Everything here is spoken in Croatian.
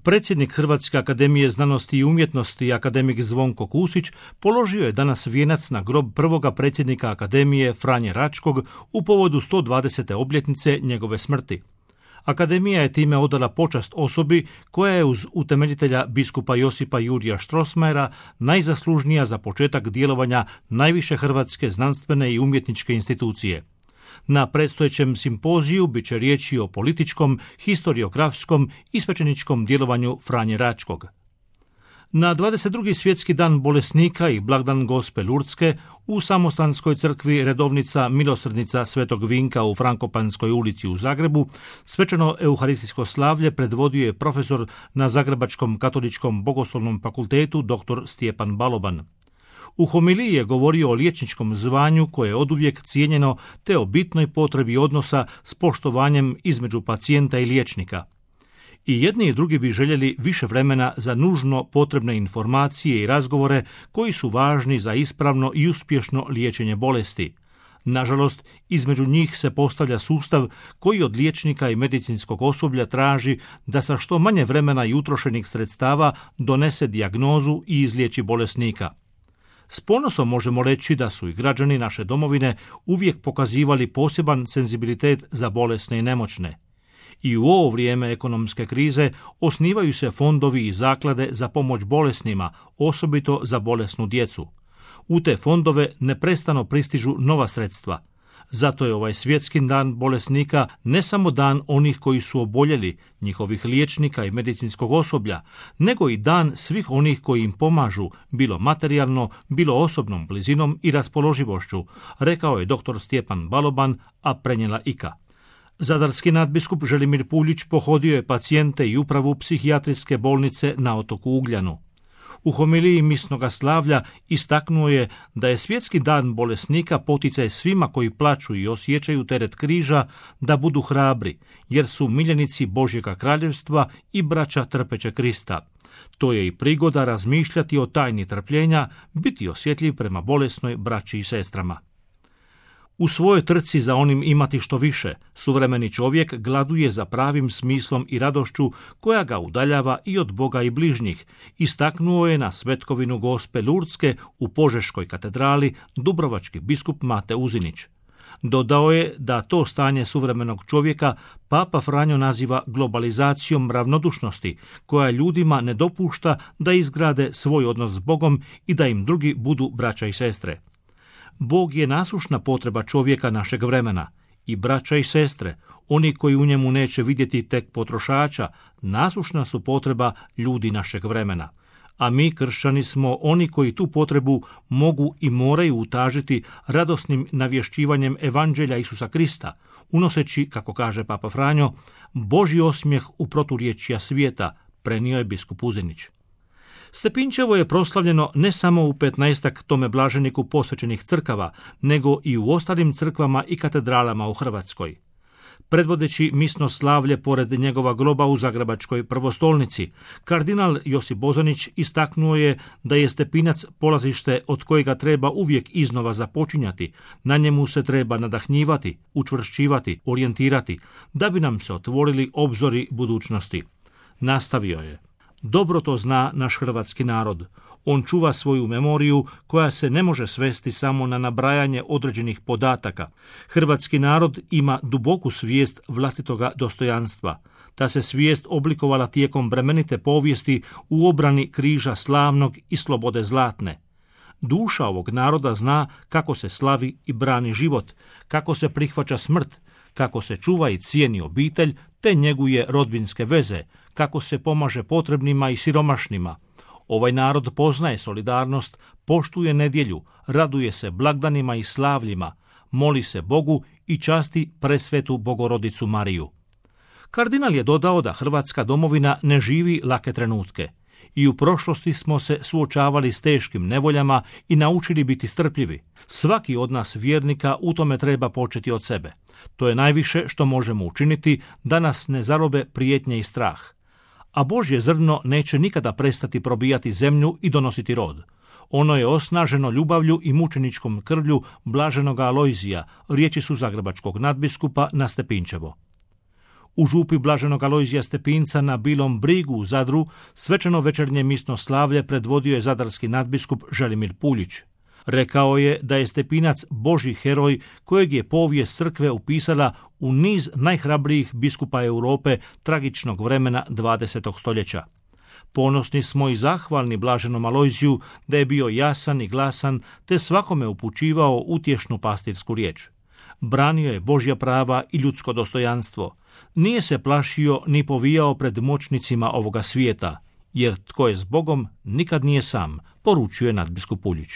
Predsjednik Hrvatske akademije znanosti i umjetnosti, akademik Zvonko Kusić, položio je danas vijenac na grob prvoga predsjednika akademije Franje Račkog u povodu 120. obljetnice njegove smrti. Akademija je time odala počast osobi koja je uz utemeljitelja biskupa Josipa Jurija Strossmayera najzaslužnija za početak djelovanja najviše hrvatske znanstvene i umjetničke institucije. Na predstojećem simpoziju bit će riječi o političkom, historiografskom i svećeničkom djelovanju Franje Račkog. Na 22. svjetski dan bolesnika i blagdan Gospe Lurdske u Samostanskoj crkvi redovnica Milosrdnica Svetog Vinka u Frankopanskoj ulici u Zagrebu svečano euharistijsko slavlje predvodio je profesor na Zagrebačkom katoličkom bogoslovnom fakultetu dr. Stjepan Baloban. U homiliji je govorio o liječničkom zvanju koje je oduvijek cijenjeno te o bitnoj potrebi odnosa s poštovanjem između pacijenta i liječnika. I jedni i drugi bi željeli više vremena za nužno potrebne informacije i razgovore koji su važni za ispravno i uspješno liječenje bolesti. Nažalost, između njih se postavlja sustav koji od liječnika i medicinskog osoblja traži da sa što manje vremena i utrošenih sredstava donese dijagnozu i izliječi bolesnika. S ponosom možemo reći da su i građani naše domovine uvijek pokazivali poseban senzibilitet za bolesne i nemoćne. I u ovo vrijeme ekonomske krize osnivaju se fondovi i zaklade za pomoć bolesnima, osobito za bolesnu djecu. U te fondove neprestano pristižu nova sredstva. Zato je ovaj svjetski dan bolesnika ne samo dan onih koji su oboljeli, njihovih liječnika i medicinskog osoblja, nego i dan svih onih koji im pomažu, bilo materijalno, bilo osobnom blizinom i raspoloživošću, rekao je dr. Stjepan Baloban, a prenijela IKA. Zadarski nadbiskup Želimir Puljić pohodio je pacijente i upravu psihijatrijske bolnice na otoku Ugljanu. U homiliji misnoga slavlja istaknuo je da je svjetski dan bolesnika poticaj svima koji plaću i osjećaju teret križa da budu hrabri, jer su miljenici Božjega kraljevstva i braća trpeće Krista. To je i prigoda razmišljati o tajni trpljenja, biti osjetljiv prema bolesnoj braći i sestrama. U svojoj trci za onim imati što više, suvremeni čovjek gladuje za pravim smislom i radošću koja ga udaljava i od Boga i bližnjih, istaknuo je na svetkovinu Gospe Lurdske u Požeškoj katedrali dubrovački biskup Mate Uzinić. Dodao je da to stanje suvremenog čovjeka Papa Franjo naziva globalizacijom ravnodušnosti, koja ljudima ne dopušta da izgrade svoj odnos s Bogom i da im drugi budu braća i sestre. Bog je nasušna potreba čovjeka našeg vremena i braća i sestre, oni koji u njemu neće vidjeti tek potrošača, nasušna su potreba ljudi našeg vremena. A mi, kršćani, smo oni koji tu potrebu mogu i moraju utažiti radosnim navješćivanjem evanđelja Isusa Krista, unoseći, kako kaže Papa Franjo, Božji osmijeh u proturječja svijeta, prenio je biskup Uzinić. Stepinčevo je proslavljeno ne samo u 15-ak tome blaženiku posvećenih crkava, nego i u ostalim crkvama i katedralama u Hrvatskoj. Predvodeći misno slavlje pored njegova groba u Zagrebačkoj prvostolnici, kardinal Josip Bozanić istaknuo je da je Stepinac polazište od kojega treba uvijek iznova započinjati, na njemu se treba nadahnjivati, učvršćivati, orijentirati, da bi nam se otvorili obzori budućnosti. Nastavio je. Dobro to zna naš hrvatski narod. On čuva svoju memoriju koja se ne može svesti samo na nabrajanje određenih podataka. Hrvatski narod ima duboku svijest vlastitoga dostojanstva. Ta se svijest oblikovala tijekom bremenite povijesti u obrani križa slavnog i slobode zlatne. Duša ovog naroda zna kako se slavi i brani život, kako se prihvaća smrt, kako se čuva i cijeni obitelj te njeguje rodbinske veze, kako se pomaže potrebnima i siromašnima. Ovaj narod poznaje solidarnost, poštuje nedjelju, raduje se blagdanima i slavljima, moli se Bogu i časti presvetu Bogorodicu Mariju. Kardinal je dodao da Hrvatska domovina ne živi lake trenutke. I u prošlosti smo se suočavali s teškim nevoljama i naučili biti strpljivi. Svaki od nas vjernika u tome treba početi od sebe. To je najviše što možemo učiniti da nas ne zarobe prijetnje i strah. A Božje zrno neće nikada prestati probijati zemlju i donositi rod. Ono je osnaženo ljubavlju i mučeničkom krvlju blaženoga Alojzija, riječi su zagrebačkog nadbiskupa na Stepinčevo. U župi blaženog Alojzija Stepinca na Bilom Brigu u Zadru svečano večernje misno slavlje predvodio je zadarski nadbiskup Želimir Puljić. Rekao je da je Stepinac Božji heroj kojeg je povijest crkve upisala u niz najhrabrijih biskupa Europe tragičnog vremena 20. stoljeća. Ponosni smo i zahvalni blaženom Alojziju da je bio jasan i glasan te svakome upućivao utješnu pastirsku riječ. Branio je Božja prava i ljudsko dostojanstvo. Nije se plašio ni povijao pred moćnicima ovoga svijeta, jer tko je s Bogom nikad nije sam, poručuje nadbiskup Puljić.